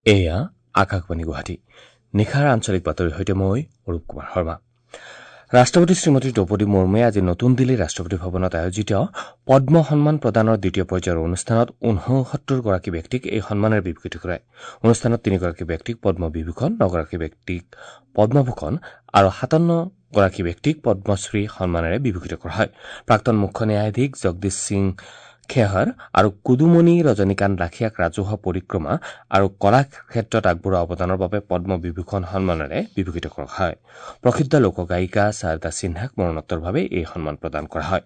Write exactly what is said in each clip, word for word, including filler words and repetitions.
এয়া আকাশবাণী গুৱাহাটী। নিশাৰ আঞ্চলিক বাতৰিৰ সৈতে মই অৰূপ কুমাৰ শৰ্মা। ৰাষ্ট্ৰপতি শ্ৰীমতী দ্ৰৌপদী মুৰ্মুৱে আজি নতুন দিল্লীৰ ৰাষ্ট্ৰপতি ভৱনত আয়োজিত পদ্ম সন্মান প্ৰদানৰ দ্বিতীয় পৰ্যায়ৰ অনুষ্ঠানত ঊনসত্তৰগৰাকী ব্যক্তিক এই সন্মানেৰে বিভূষিত কৰে। অনুষ্ঠানত তিনিগৰাকী ব্যক্তিক পদ্মবিভূষণ, নগৰাকী ব্যক্তিক পদ্মভূষণ আৰু সাতাৱন্নগৰাকী ব্যক্তিক পদ্মশ্ৰী সন্মানেৰে বিভূষিত কৰা হয়। প্ৰাক্তন মুখ্য ন্যায়াধীশ জগদীশ সিং খেহৰ আৰু কুদুমণি ৰজনীকান্ত লাখিয়াক ৰাজহুৱা পৰিক্ৰমা আৰু কলা ক্ষেত্ৰত আগবঢ়োৱা অৱদানৰ বাবে পদ্মবিভূষণ সন্মানেৰে বিভূষিত কৰা হয়। প্ৰসিদ্ধ লোকগায়িকা শাৰদা সিনহাক মৰণোত্তৰভাৱে এই সন্মান প্ৰদান কৰা হয়।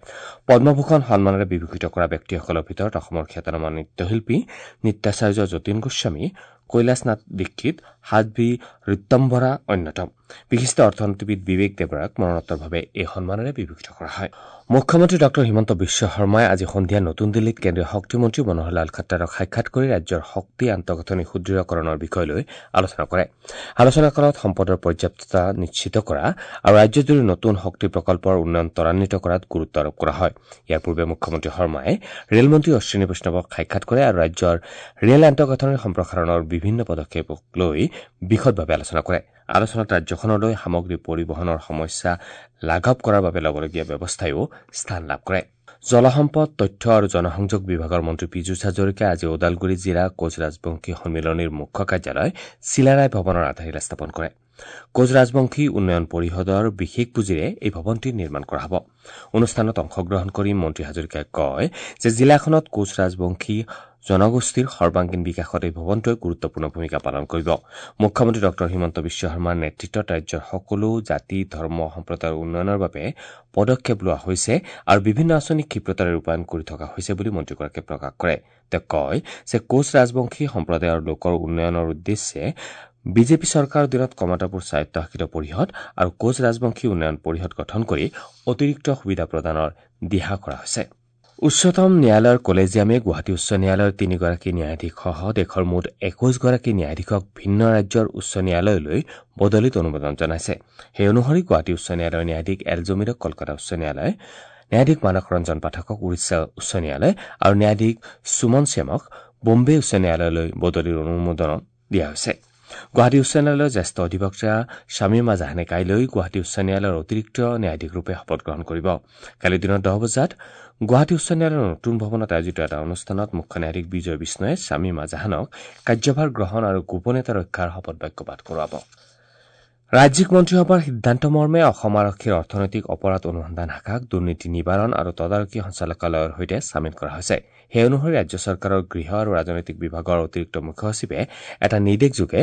পদ্মভূষণ সন্মানেৰে বিভূষিত কৰা ব্যক্তিসকলৰ ভিতৰত অসমৰ খ্যাতনামা নৃত্যশিল্পী নৃত্যাচাৰ্য যতীন গোস্বামী, কৈলাসনাথ দীক্ষিত, সাধ্বী ঋতম্বৰা অন্যতম। বিশিষ্ট অৰ্থনীতিবিদ বিবেক দেৱৰাক মৰণোত্তৰভাৱে এই সন্মানেৰে বিভূষিত কৰা হয়। মুখ্যমন্ত্ৰী ডঃ হিমন্ত বিশ্ব শৰ্মাই আজি সন্ধিয়া নতুন দিল্লীত কেন্দ্ৰীয় শক্তিমন্ত্ৰী মনোহৰলাল খট্টাৰক সাক্ষাৎ কৰি ৰাজ্যৰ শক্তি আন্তঃগাঁথনি সুদৃঢ়কৰণৰ বিষয় লৈ আলোচনা কৰে। আলোচনাকালত সম্পদৰ পৰ্যাপ্ততা নিশ্চিত কৰা আৰু ৰাজ্যজুৰি নতুন শক্তি প্ৰকল্পৰ উন্নয়ন ত্বৰান্বিত কৰাত গুৰুত্ব আৰোপ কৰা হয়। ইয়াৰ পূৰ্বে মুখ্যমন্ত্ৰী শৰ্মাই ৰেলমন্ত্ৰী অশ্বিনী বৈষ্ণৱক সাক্ষাৎ কৰে আৰু ৰাজ্যৰ ৰেল আন্তঃগাঁথনিৰ সম্প্ৰসাৰণৰ বিভিন্ন পদক্ষেপক লৈ বিশদভাৱে আলোচনা কৰে। আলোচনাত ৰাজ্যখনলৈ সামগ্ৰী পৰিবহণৰ সমস্যা লাঘৱ কৰাৰ বাবে ল'বলগীয়া ব্যৱস্থাইও স্থান লাভ কৰে। জলসম্পদ, তথ্য আৰু জনসংযোগ বিভাগৰ মন্ত্ৰী পীযুষ হাজৰিকাই আজি ওদালগুৰি জিলা কোচ ৰাজবংশী সন্মিলনীৰ মুখ্য কাৰ্যালয় চিলাৰায় ভৱনৰ আধাৰশিলা স্থাপন কৰে। কোচ ৰাজবংশী উন্নয়ন পৰিষদৰ বিশেষ পুঁজিৰে এই ভৱনটি নিৰ্মাণ কৰা হ'ব। অনুষ্ঠানত অংশগ্ৰহণ কৰি মন্ত্ৰী হাজৰিকাই কয় যে জিলাখনত কোচ ৰাজবংশী জনগোষ্ঠীৰ সৰ্বাংগীন বিকাশত এই ভৱনটোৱে গুৰুত্বপূৰ্ণ ভূমিকা পালন কৰিব। মুখ্যমন্ত্ৰী ডঃ হিমন্ত বিশ্ব শৰ্মাৰ নেতৃত্বত ৰাজ্যৰ সকলো জাতি, ধৰ্ম, সম্প্ৰদায়ৰ উন্নয়নৰ বাবে পদক্ষেপ লোৱা হৈছে আৰু বিভিন্ন আঁচনি ক্ষিপ্ৰতাৰে ৰূপায়ণ কৰি থকা হৈছে বুলি মন্ত্ৰীগৰাকীয়ে প্ৰকাশ কৰে। তেওঁ কয় যে কোচ ৰাজবংশী সম্প্ৰদায়ৰ লোকৰ উন্নয়নৰ উদ্দেশ্যে বিজেপি চৰকাৰৰ দিনত কমতাপুৰ স্বায়ত্তশাসিত পৰিষদ আৰু কোচ ৰাজবংশী উন্নয়ন পৰিষদ গঠন কৰি অতিৰিক্ত সুবিধা প্ৰদানৰ দিহা কৰা হৈছে। উচ্চতম ন্যায়ালয়ৰ কলেজিয়ামে গুৱাহাটী উচ্চ ন্যায়ালয়ৰ তিনিগৰাকী ন্যায়াধীশসহ দেশৰ মুঠ একৈশগৰাকী ন্যায়াধীশক ভিন্ন ৰাজ্যৰ উচ্চ ন্যায়ালয়লৈ বদলিত অনুমোদন জনাইছে। সেই অনুসৰি গুৱাহাটী উচ্চ ন্যায়ালয়ৰ ন্যায়াধীশ এল জমিৰক কলকাতা উচ্চ ন্যায়ালয়, ন্যায়াধীশ মানস ৰঞ্জন পাঠকক উৰিষ্যা উচ্চ ন্যায়ালয় আৰু ন্যায়াধীশ সুমন শ্যামক বোম্বে উচ্চ ন্যায়ালয়লৈ বদলিৰ অনুমোদন দিয়া হৈছে। গুৱাহাটী উচ্চ ন্যায়ালয়ৰ জ্যেষ্ঠ অধিবক্তা শামীমা জাহানে কাইলৈ গুৱাহাটী উচ্চ ন্যায়ালয়ৰ অতিৰিক্ত ন্যায়াধীশৰূপে শপত গ্ৰহণ কৰিব। কালি দিনৰ দহ বজাত গুৱাহাটী উচ্চ ন্যায়ালয়ৰ নতুন ভৱনত আয়োজিত এটা অনুষ্ঠানত মুখ্য ন্যায়াধীশ বিজয় বিষ্ণয়ে শামীমা জাহানক কাৰ্যভাৰ গ্ৰহণ আৰু গোপনীয়তা ৰক্ষাৰ শপত বাক্য পাঠ কৰোৱাব। ৰাজ্যিক মন্ত্ৰীসভাৰ সিদ্ধান্তমৰ্মে অসম আৰক্ষীৰ অৰ্থনৈতিক অপৰাধ অনুসন্ধান শাখাক দুৰ্নীতি নিবাৰণ আৰু তদাৰকী সঞ্চালকালয়ৰ সৈতে চামিল কৰা হৈছে। সেই অনুসৰি ৰাজ্য চৰকাৰৰ গৃহ আৰু ৰাজনৈতিক বিভাগৰ অতিৰিক্ত মুখ্য সচিবে এটা নিৰ্দেশযোগে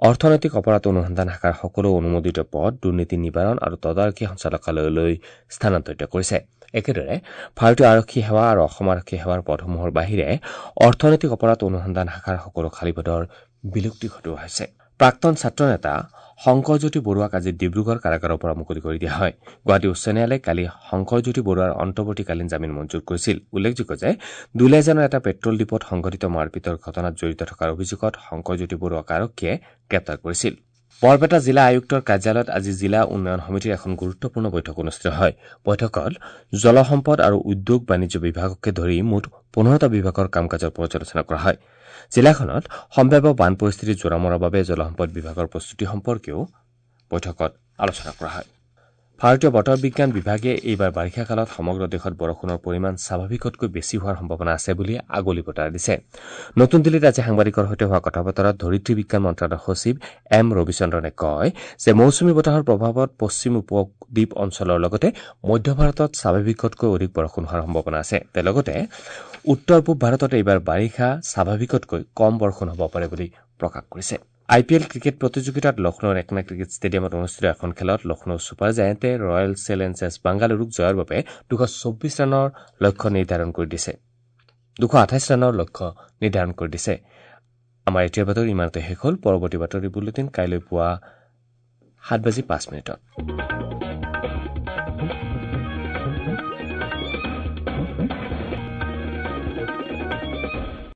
অৰ্থনৈতিক অপৰাধ অনুসন্ধান শাখাৰ সকলো অনুমোদিত পদ দুৰ্নীতি নিবাৰণ আৰু তদাৰকী সঞ্চালকালয়লৈ স্থানান্তৰিত কৰিছে। একেদৰে ভাৰতীয় আৰক্ষী সেৱা আৰু অসম আৰক্ষী সেৱাৰ পদসমূহৰ বাহিৰে অৰ্থনৈতিক অপৰাধ অনুসন্ধান শাখাৰ সকলো খালী পদৰ বিলুপ্তি ঘটোৱা হৈছে। প্ৰাক্তন ছাত্ৰ নেতা শংকৰজ্যোতি বৰুৱাক আজি ডিব্ৰুগড় কাৰাগাৰৰ পৰা মুকলি কৰি দিয়া হয়। গুৱাহাটী উচ্চ ন্যায়ালয়ে কালি শংকৰজ্যোতি বৰুৱাৰ অন্তৱৰ্তীকালীন জামিন মঞ্জুৰ কৰিছিল। উল্লেখযোগ্য যে দুলীয়াজানৰ এটা পেট্ৰল ডিপোত সংঘটিত মাৰপিটৰ ঘটনাত জড়িত থকাৰ অভিযোগত শংকৰজ্যোতি বৰুৱাক আৰক্ষীয়ে গ্ৰেপ্তাৰ কৰিছিল। বৰপেটা জিলা আয়ুক্তৰ কাৰ্যালয়ত আজি জিলা উন্নয়ন সমিতিৰ এখন গুৰুত্বপূৰ্ণ বৈঠক অনুষ্ঠিত হয়। বৈঠকত জলসম্পদ আৰু উদ্যোগ বাণিজ্য বিভাগকে ধৰি মুঠ পোন্ধৰটা বিভাগৰ কাম কাজৰ পৰ্যালোচনা কৰা হয়। জিলাখনত সম্ভাৱ্য বান পৰিস্থিতি জোৰা মৰাৰ বাবে জলসম্পদ বিভাগৰ প্ৰস্তুতি সম্পৰ্কেও বৈঠকত আলোচনা কৰা হয়। ভাৰতীয় বতৰ বিজ্ঞান বিভাগে এইবাৰ বাৰিষা কালত সমগ্ৰ দেশত বৰষুণৰ পৰিমাণ স্বাভাৱিকতকৈ বেছি হোৱাৰ সম্ভাৱনা আছে বুলি আগলি বতৰা দিছে। নতুন দিল্লীত আজি সাংবাদিকৰ সৈতে হোৱা কথা বতৰাত ধৰিত্ৰী বিজ্ঞান মন্ত্ৰালয়ৰ সচিব এম ৰবিচন্দ্ৰনে কয় যে মৌচুমী বতাহৰ প্ৰভাৱত পশ্চিম উপদ্বীপ অঞ্চলৰ লগতে মধ্য ভাৰতত স্বাভাৱিকতকৈ অধিক বৰষুণ হোৱাৰ সম্ভাৱনা আছে। তেওঁ লগতে উত্তৰ পূব ভাৰতত এইবাৰ বাৰিষা স্বাভাৱিকতকৈ কম বৰষুণ হ'ব পাৰে বুলি প্ৰকাশ কৰিছে। আই পি এল ক্ৰিকেট প্ৰতিযোগিতাত লক্ষ্ণৌৰ একনা ক্ৰিকেট ষ্টেডিয়ামত অনুষ্ঠিত এখন খেলত লক্ষ্ণৌ ছুপাৰ জায়েণ্টে ৰয়েল চেলেঞ্জাৰ্ছ বাংগালুৰুক জয়ৰ বাবে দুশ চৌব্বিছ ৰানৰ লক্ষ্য নিৰ্ধাৰণ কৰি দিছে দুশ আঠাইছ ৰানৰ লক্ষ্য নিৰ্ধাৰণ কৰি দিছে। আমাৰ এতিয়াৰ বাতৰি ইমানতে শেষ হ'ল। পৰৱৰ্তী বাতৰি বুলেটিন কাইলৈ পুৱা সাত বাজি পাঁচ মিনিটত।